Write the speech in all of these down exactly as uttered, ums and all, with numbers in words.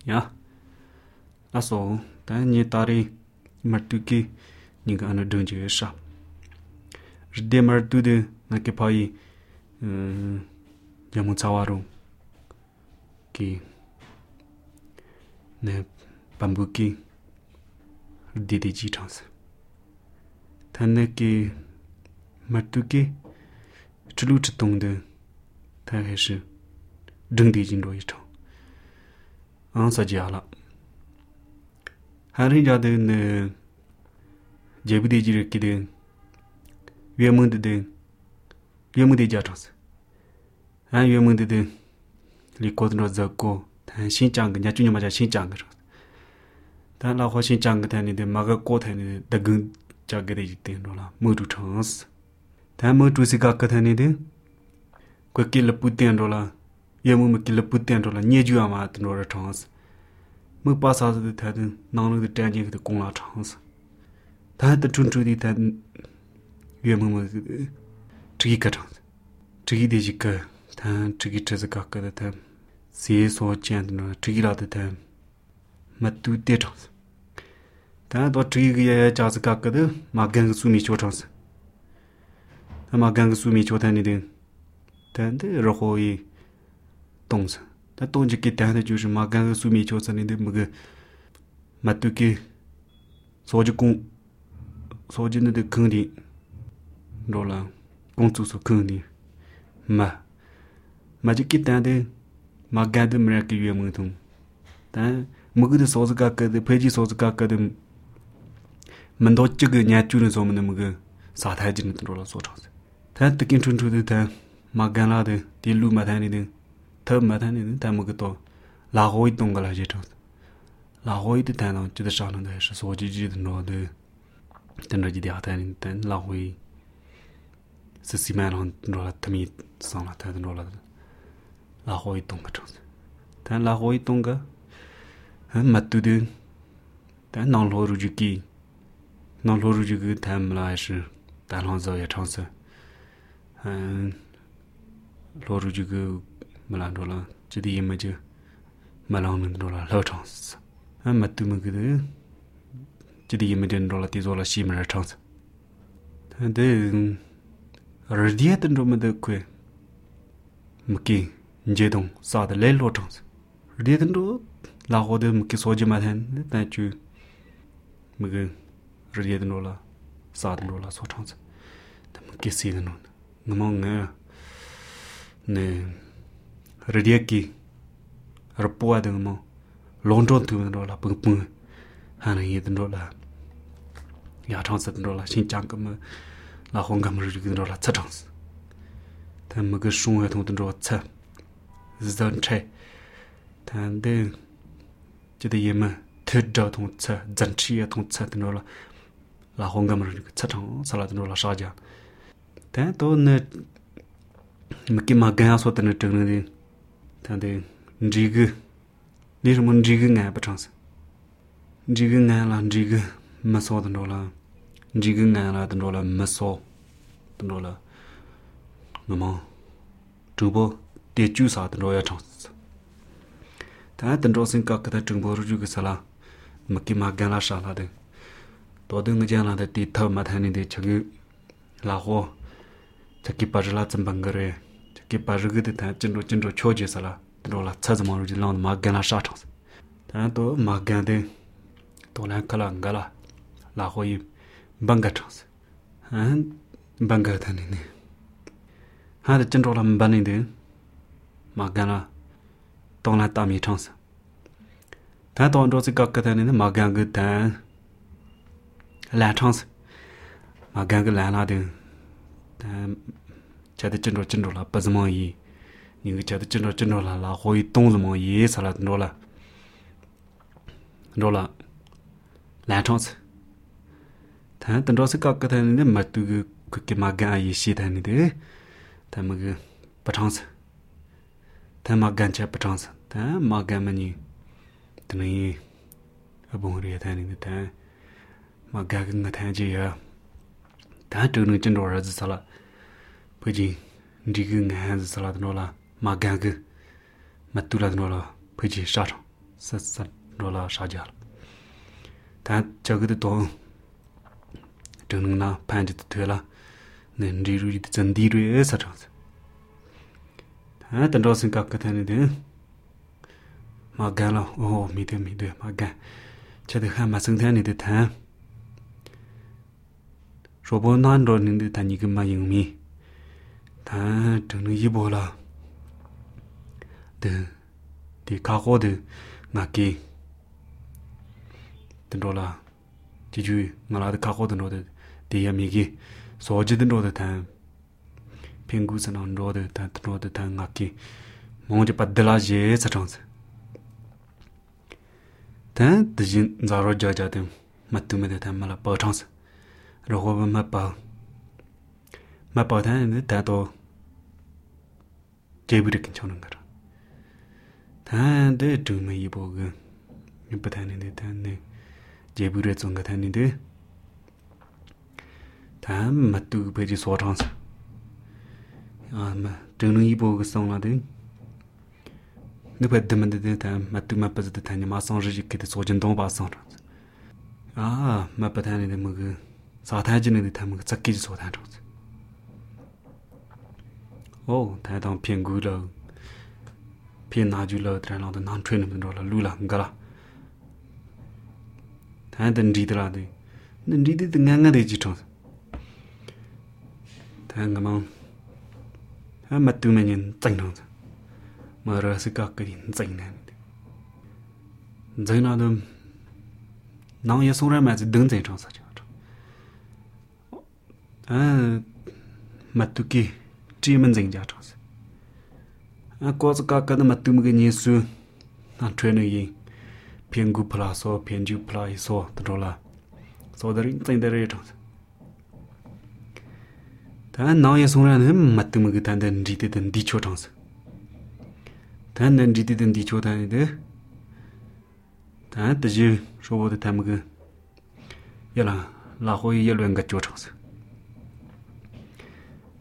ya aso ta ni tari martuki ni ga na dungje sha de martu de na ke pai jamu chawaru ki ne bambuki de de ji chance tanne ki martuki chulu chtung de ta he shi deng de jin ro yi chang an sa jia la hari ja de ne je bu de ji ki de yue meng de de yue meng de jia chance an yue meng de de li ko de za ko tan xin chang ge ja ju ni ma ja xin chang ge tan la ho xin chang ge tan ni de ma ge ko tan ni de gung ja ge de ji de ro la mo du chance tan mo du si ga ge tan ni de ko ki le pu tian ro la ye mo me ki le pu tian ro la nie ju ma de ro ra chance mo pa sa de ta de nang lu de tan ji de gong la chance ta de chun chu de ta ye mo mo chi ka chance chi de ji ka ta chi ki che ga ka de ta si so chen de chi la de ta ma tu de chance ta do chi ge ya ja ga ka de ma gan su mi cho chance ta ma gan su mi cho ta ni de ta de ro ho yi dong sa ta dong ji ki ta de ju shi ma gan su mi cho sa ni de mo ge ma tu ki so ji gong so ji ne de keng di ro la gong zu so keng di ma ma ji ki ta de ma gan de me ki yue mo thong ta mo ge de so ga ka de pe ji so ga ka de men do ji ge nya ju ne so mo ne mo ge sa ta ji ne ro la so chang ta de kin chun chu de ta ma gan la de di lu ma ta ni de ta ma ta ni de ta mo ge to la ho yi dong ga la ji chang la ho yi de ta no ji de sha no de shi so ji ji de no de den ro ji de ta ni den la ho yi se si ma no ro la ta mi sa la ta de ro la la ho yi dong ga chang ta la ho yi dong ga ma tu de ta nang lo ru ji ki nang lo ru ji ge ta ma la shi ta lang zo ye chang se嗯，落入这个没来着了，这里也没就没浪人着了，老长时，俺没对么个的，这里也没人着了，地着了西门儿长时，但的二爹等着没得亏，没给你这种啥的来落长时，二爹等着拉好的没给说起嘛谈，但就没个二爹等着了，啥等着了说长时，但没给谁等着。那么呢，那热点机，而不爱的么，long john tu那了，蹦蹦，还能一等着了，牙长子等着了，新疆个么，那红个么是等着了，吃长子，他们个生活同等着吃，人吃，他的这的也么，特着同吃，人吃也同吃等着了，那红个么是吃长，吃了等着了啥家。ta to ne mki ma ga so ta ne zheng de ta de ji ge ni什么ji ge ngai ba chang se ji ge ngai la ji ge ma so de la ji ge ngai la de la ma so de la na ma zhu bo de ju sa de ya chang se ta de zhou sin ka ka de zheng bo ru ju ge sa la mki ma ga la sha la de to de nge jian la de ti ta ma ta ni de che ge la ho 저기 빠질라 좀 방거래 저기 빠르게 다 진로 진로 초지살아 들어라 찾아만 우리 라운 마간나 샤창 다또 마간데 도란 칼랑가라 라호이 방가창 한 방가다니네 하데 진로라 반인데 마간나 동나 따미 창스 다또 언저스 각가다니네 마간그 다 라창스 마간그 라나데 다 자대 진로 진로라 빠즈모이 이거 자대 진로 진로라 라 호이 동즈모 예 살아 놀라 놀라 라톤스 다 던로스 각가다는데 맞두 그게 마가 이시다는데 다 뭐그 바창스 다 마간차 바창스 다 마가마니 드니 아봉리에 다니는데 다 마가가 타지야 다 저는 진로라 살아 Puji, Digun has Saladnola, Magaga, Matula Nola, Puji Shadow. sat rola shajar ta jagde to na panji tela nen riru di zandiru e sa chans ta tan rosin ka ka tan de ma gala oh mi de mi de ma ga cha de ha ma sung tan ni de ta ro bo nan ro ni de ta ni ge ma ying mi ta zheng yi bo la de de ka ho de na ki den ro la ji ju na la de ka ho de no de de ya mi gi so ji de no de ta ping gu san on ro de ta no de ta na ki mo je pa de la je sa chang se ta de jin za ro ja ja de ma tu me de ta ma la pa chang se ro ho ma pa ma pa ta ne ta to 제부리 괜찮은 거라. 다데 좀 이보고 이쁘다는데 다네 제부리 좀 같았는데 다 맞도 베지 소장스. 아마 좀 이보고送了的. 너 beddemen데 다 맞도 맞빠도 다니 마상지게 소전동 바상. 아, 맞빠다는데 뭐그 사타지는데 다 뭐 zak기지 소다죠. Oh, ta dang pian gu lo. Pian na ju lo tra lang de nan train de lo lu la ngala. Ta den ri de la de. Den ri de nga nga de ji chong. Ta nga ma. Ha ma tu me nin zang nang. Ma ra se ka ka din zang nan. Zang na de nang ye song ra ma zi deng zai chong sa. Ah, ma tu ki chỉ mình dành ra cho à có cái cái mà tụi mình nhìn xuống anh trainer gì phiền gu plus so phiền ju plus so đó là so đó là dành ra cho ta nói xong ra nữa mà tụi mình cái thằng đi đến đi chỗ trong thằng đi đến đi chỗ thằng đấy ta tự nhiên số bộ thằng mình cái là là hồi giờ luyện cái chỗ trong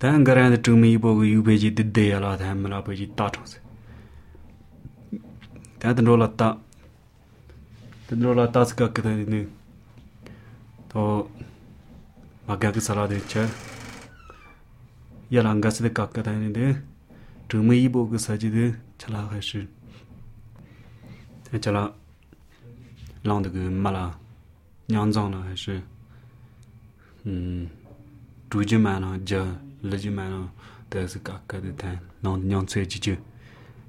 Tan garan de mi bo gu beji de de ala ta mala beji ta chos. Ta den rola ta. Den rola ta ska ka de to maga ga sala de cha. Ya lang ga se de ka ka de de. Tu mi bo gu sa ji de chala ga shi. Ta chala lang de gu mala nyang zang la hai shi. Hmm. Tu ji ma na ja le ji ma no de se ka ka de tan non nyong cui ji ji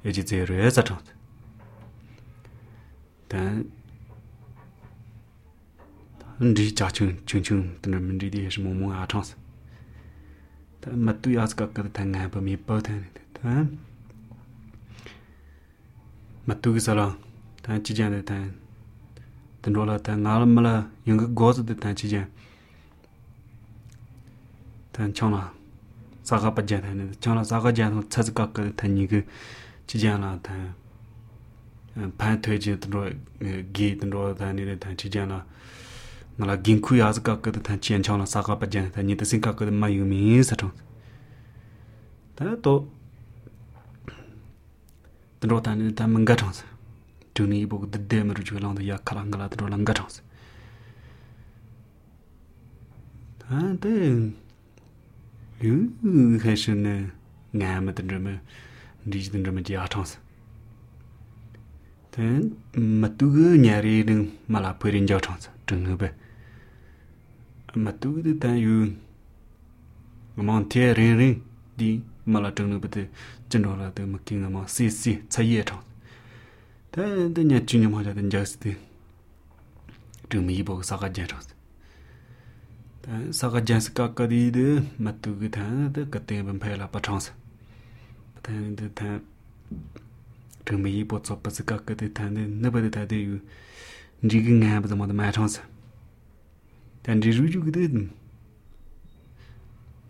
e ji ze re za chang dan ndi ja chung chung chung de men ri de shi mo mo a chang ta ma tu ya ka ka de tan nga ba mi pa tan ta ma tu gi sa la ta ji jian de tan den ro la ta nga la ma la yung ge go de tan ji jian tan chong la 사가 빠져다는 저나 사가 지안 찾을까 그 다니 그 지잖아 다 반퇴지 들어 기 들어 다니는 다 지잖아 나라 긴쿠 야즈까 그 단치 엔창나 사가 빠져 다니 더 생각 그 마유미 사정 다또 들어 다니는 다 뭔가 정서 두니 보고 데데므로 줄랑도 약칼랑가라 들어 랑가 정서 다데 유 해신네 냐마 든르메 디지든르메 지아창스 된 마투그 냐리는 말아 버린 저창스 등으베 마투그 단유 몬테레리 디 말아 등으베 진로라데 마킹마 시시 차이에창 된데 주님 하자든 저스티 등미보 사가제창스 사가 잔스까 까디드 마투그 타데 그때 범패라 파창스 타는데 타 등미 보츠 빠스까 까디 타네 너버데 타데 지금 하면서 뭐 마창스 단지 루주그데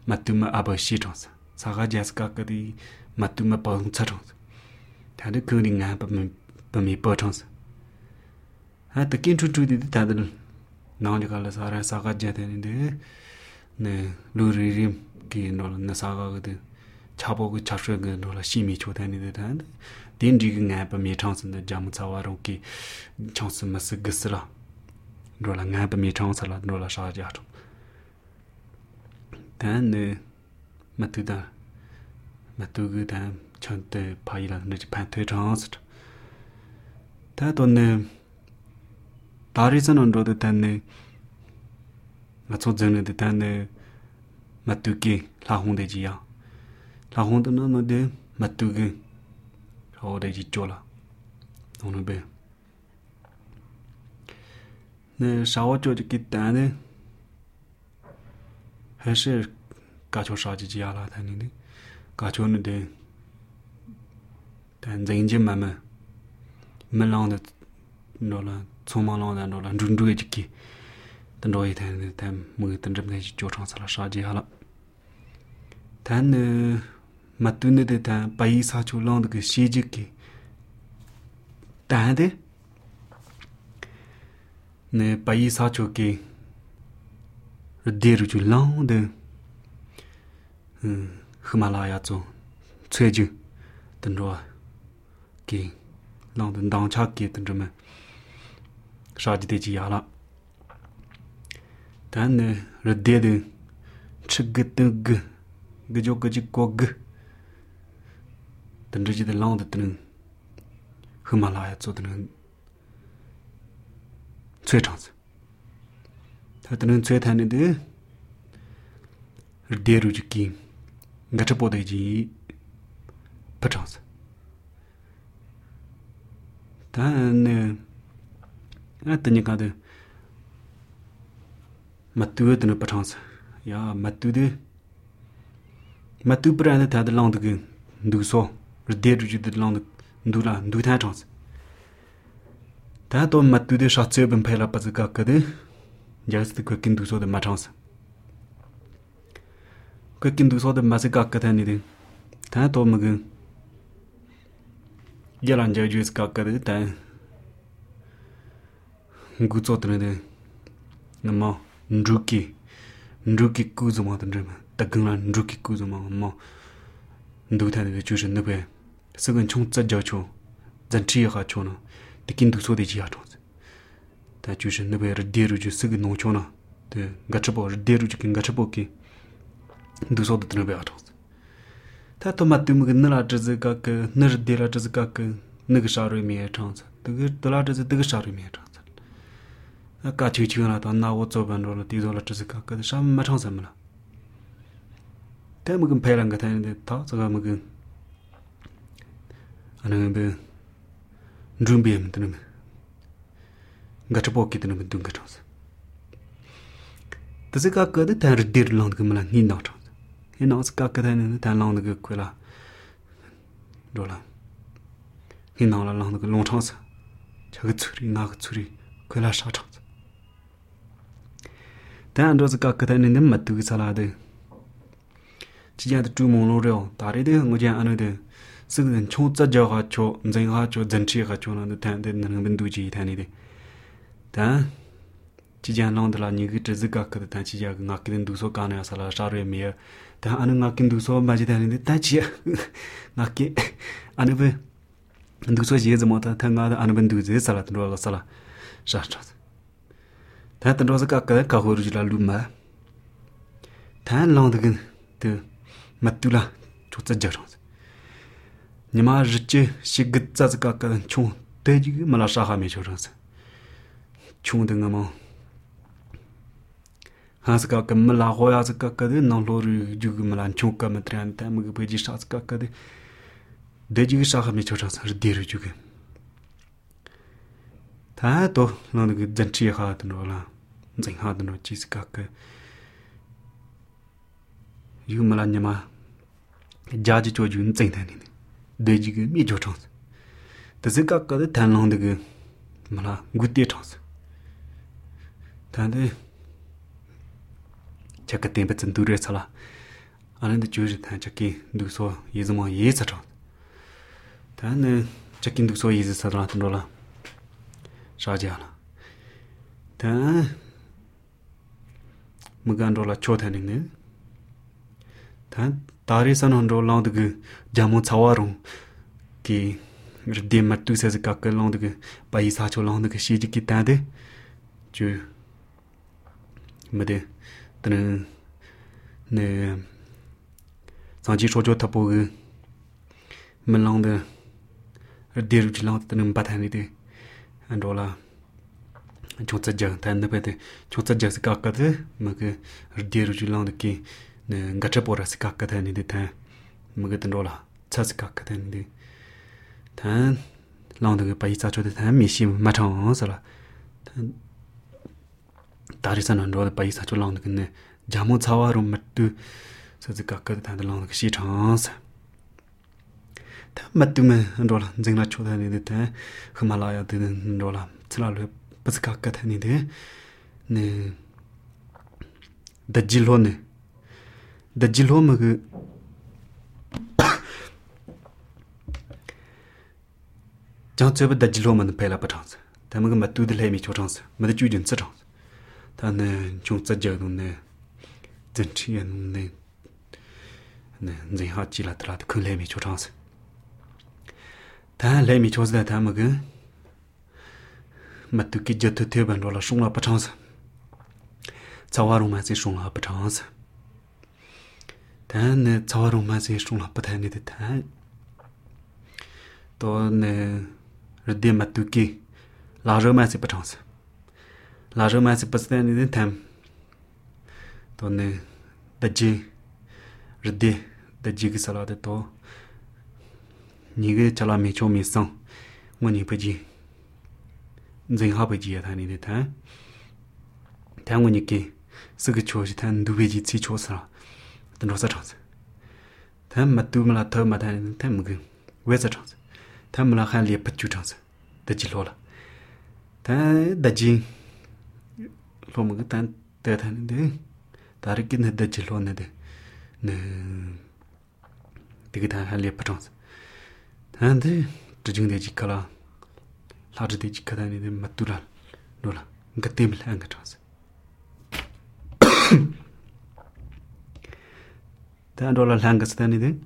마투마 아버시 창스 사가 잔스까 까디 마투마 방차창스 타데 그링아 범 범이 빠창스 아 특히 추추디 타들 나오니 갈라 사라 사가 제되는데 네 루리림 기노 나 사가거든 차보고 차수가 놀라 심이 초다니데 딘지가 ngay 미 창선의 잠자와로기 창선 마스 그스라 놀라 ngay 미 창선라 놀라 사자죠 단네 마투다 마투그다 전때 바이라는 판퇴 창스 다도네 다리선은 로드 단네 맞춰전에 단네 마투기 라홍대지야 라홍도는 너데 마투기 어디지 쫄아 오늘 배 네, 샤워 조직기 때문에 해시 가초 사지지 알아 다니네 가초는데 단쟁진만만 melande 노라 초마랑다 노라 준주의지기 단도이 되는 단 뭐 던점내 조창사라 사지 하라 단 맞두는데 단 바이사 줄랑도 그 시지기 단데 네 바이사 쪽기 데르 줄랑데 음 히말라야 쪽 최주 단도 기 랑든 당차기 단점에 사지 되지 하라 단네 르데드 츠그뜨그 그조그지고그 던지지 랑드는 히말라야 쪽드는 최장스 다드는 최탄인데 르데루지기 가처보데지 파장스 단네 아뜨니까데 마투드는 파장스 야 마투드 마투 브라는 다들 랑드그 누소 르데루지드 랑드 누라 누타장스 다도 마투드 샤츠벤 페라 빠즈가카데 야스트 그킨 두소데 마장스 그킨 두소데 마즈가카다니데 다도 먹은 야란자 주스 가카데 다 구조드네 너무 누키 누키 구조마든데 딱근란 누키 구조마 뭐 누타데 주스 너베 서근 총자자초 잔치가 초나 디킨도 소데지야죠 다 주스 너베 르데루주 서근 노초나 데 가처보 르데루주 긴 가처보기 두소도 드네베아죠 다 토마토무 그나라즈가 그 너르데라즈가 그 느그샤르미에 찬스 그 돌아즈즈 느그샤르미에 찬스 아까 지지나 더 나고 저번으로 디돌라즈가 그 샴마 찬스만 대목은 배란 거 되는데 다 저거 먹은 아는 배 준비하면 되는 같이 보기 되는 분 dunga 찬스 그래서 그 다르디르랑 그만 닌다 hinaus kakadane tan lang de kwela dola hinaula lang de long chance chaga tsuri nga tsuri kwela sha chance tan do kakadane ne matu salade jiya de tu mon lo ryo da re de ngo jian ane de sigen chong za jia ga cho zeng ha cho zhen chi ga cho na de tan de nang ben du ji tan ni de ta jiya lang de la ni ge zhe ga ka de tan jiya nga ke den du so ka na sala sha re me 다 아는 아낀 두서 맞이 되는데 다지야 나께 아는 왜 두서 예즈 못다 당가다 아는 분 두제 살아들어 살아 샤샤 다 들어서 까까 가호르지라 루마 다 랑드근 드 맞둘라 좋자 저런 니마 르치 시그자즈 까까 총 대지기 말아샤하메 저런서 총등아 뭐 하스가 금라 호야스가 까데 나로르 주금란 총까 마트란타 무그 베지 샤스가 까데 데지기 샤하미 저자서 데르 주게 다도 너는 그 잔치 하드노라 쟁 하드노 지스가 그 유말냐마 자지 조준 쟁다니 데지기 미 저자서 데스가 까데 단롱데 그 말아 굿디 저서 다데 chaka tempe chen dure sala anan de juri ta chaki du so yezmo yesa cha ta ne chaki du so yesa sala tnola shaja la ta mugan dola chota ne ne 단 다리선 혼로 라운드 그 자모 차와롱 기 르데 마투세스 까까 라운드 그 바이사초 라운드 그 시지기 따데 주 뭐데 드는 네 산지 소조 타보 그 melangde dir jilang tan batani de andola chotsa ja tan de pete chotsa ja ska ka de mag dir jilang de ki ne gacha pora ska ka tan de ta mag de dola cha ska ka tan de tan lang de pai sa cho de tan mi shi ma chang sa la tan 다리산 안로 pai sa cho lang de ne jamu chawa ro mattu sa ska ka tan de lang de shi chang sa 맞으면 안돌아 정말 초다니데 히말라야 되는 안돌아 틀라르 버스카 같으니데 네 다질로네 다질로마 그 장체버 다질로만 펠라 버창스 다음은 맞두들 해미 초창스 맞아 주진 쓰창스 다는 중짜저도네 전치연네 네 이제 하지라더라도 그 해미 초창스 다 레미 초즈다 다마그 마투키 저토 테반로라 숑라 파창스 자와로마세 숑라 파창스 다네 자와로마세 숑라 파타니데 다 또네 르데 마투키 라르마세 파창스 라르마세 파스타니데 탐 또네 다지 르데 다지기 살라데 또 니게 잘라미 좀이성 뭐니 버지 인생하버지야 다니데 다 당원이께 쓰그 초시 탄 두베지 치 초사 등로사 장스 담 맞두물라 더 마다는 담그 왜서 장스 담물라 한리 ပတ်주 장스 더지로라 다 다지 로무가 단 대다는데 다르긴 더지로는데 네 되게 다 한리 ပတ်장스 한데 드징데지 칼라 라르데지 카다니데 마투랄 노라 가템을 한가 장스 단돌라 한가스다니데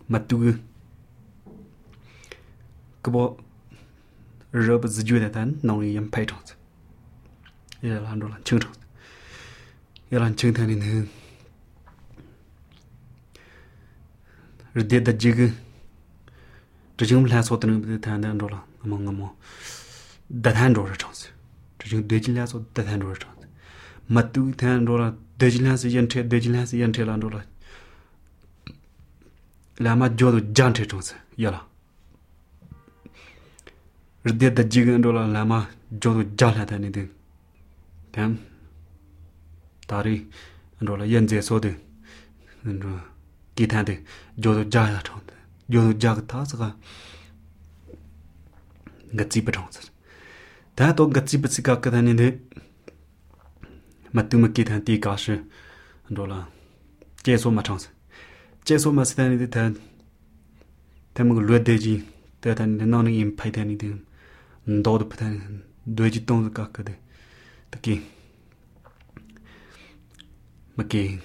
마투그 그보 러브 지주데단 나오니 얌파이 장스 이란돌라 칭장 이란 칭타니는 르데다 지그 지금 라소드는 단단돌라 아몽아모 다단돌라 장스 지금 되질라서 다단돌라 장스 마투 단돌라 되질라서 연체 되질라서 연체란돌라 라마 조도 잔체 장스 야라 르데다 지간돌라 라마 조도 잘하다니데 담 다리 안돌라 연제 소데 안돌 기타데 조도 잘하 장스 요도 자그타스가 같이 버정스 다도 같이 버스가 가다니데 맞두먹기 단티 가시 안돌라 제소 마창스 제소 마스다니데 다 대목 르데지 대단히 너는 임파이다니데 너도 파다니 되지 동도 깎거든 특히 막기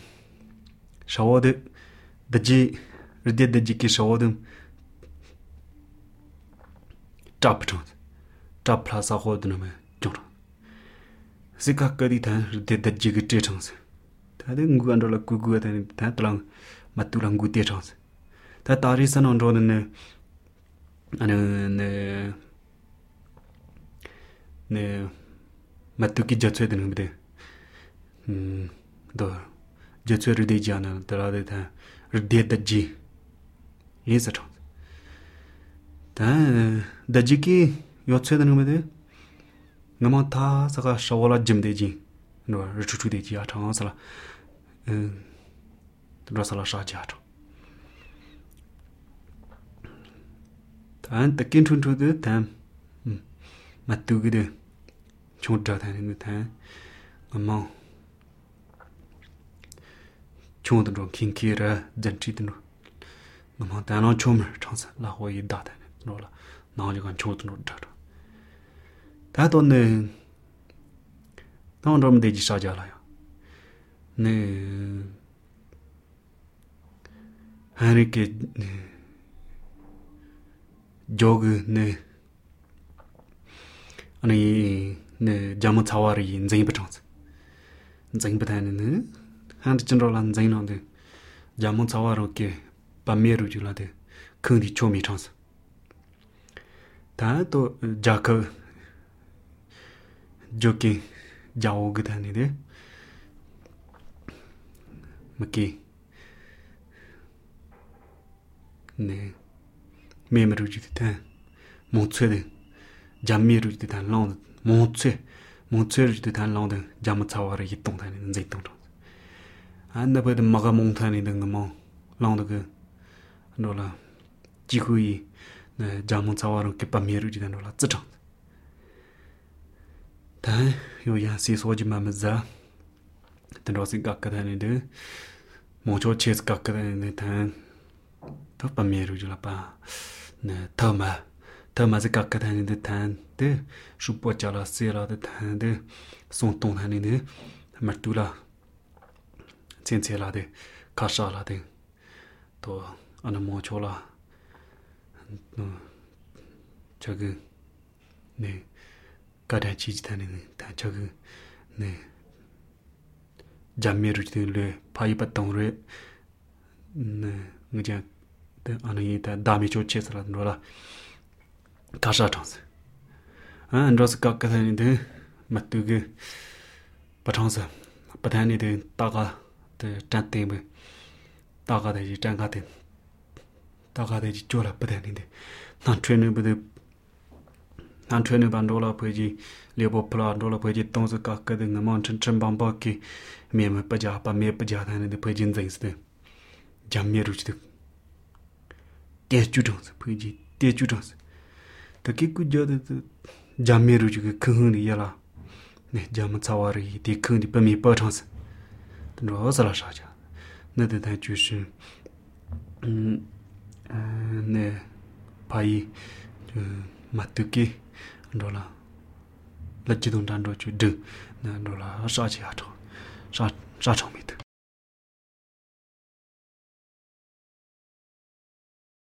샤워드 다지 르데데지 키 샤워드 잡죠 잡 플러스 호드는 좀 시카까지 다 르데데지 그 제정스 다들 구간돌라 구구하다니 다 들랑 맞두랑 구대 정스 다 다리선 온로는 아는 네 맞두기 젖혀야 되는데 음더 젖혀야 되지 않아 들어야 다 르데데지 예서죠 다 다지기 요쳐야 되는데 너무 다 사가 샤워라 짐되지 너 르추추되지 아 장사라 음 들어서라 샤지하죠 단 딱긴 춘추드 담 맞두기데 총자 다니는 다 엄마 총도 킹키라 잔치드노 엄마 다나 총을 장사 라호이 다다 노라 나오니까 총도 다다 다도네 나온럼 되지 사자라요 네 하니께 조그 네 아니 네 자모 차와리 인쟁이 버창스 인쟁 버다는 한드 전rol한 인쟁인데 자모 차와로게 밤메루 줄라데 큰디 초미 창스 다또 자크 조기 자오그 다니데 뭐기 네 메모리지다 몬츠데 잠미르지다 랑드 몬츠 몬츠르지다 랑드 잠차와르 이동다는 제동도 안나버드 마가 몽타니는 뭐 랑드그 노라 지구이 네 잠차와르 게빠미르지다 노라 쯔정 다 요야 시소지 마마자 드로시 각가다니데 모조 체스 각가다니데 단 더 빠미르지라빠 네 더마 더마즈 각가다니데 단데 슈포자라 세라데 단데 손동하니데 마투라 첸체라데 카샤라데 또 아나 모초라 저그 네 가다치지다니네 다 저그 네 잠미르지들레 파이바똥레 네 그냥 아니 다 다미조 체스라노라 가샤탕스 아 안드로스 각가다니데 마투게 바탕스 바다니데 따가 데 짠테메 따가데지 짠가데 따가데지 쪼라 바다니데 난 트레너브데 난 트레너 반도라 포지 레보 플라도라 포지 똥스 각가데 나만 천천방바키 메메 빠자 빠메 빠자 다니데 포지 인자이스데 잠미르지데 대주정스 포지 대주정스 특히 그저데 잠미르지게 큰이 야라 네 잠차와리 디큰디 빠미 빠창스 너서라샤자 너데 다 주시 음네 파이 마트키 돌라 라지동 단도 주드 나돌라 사지하토 사 사청미드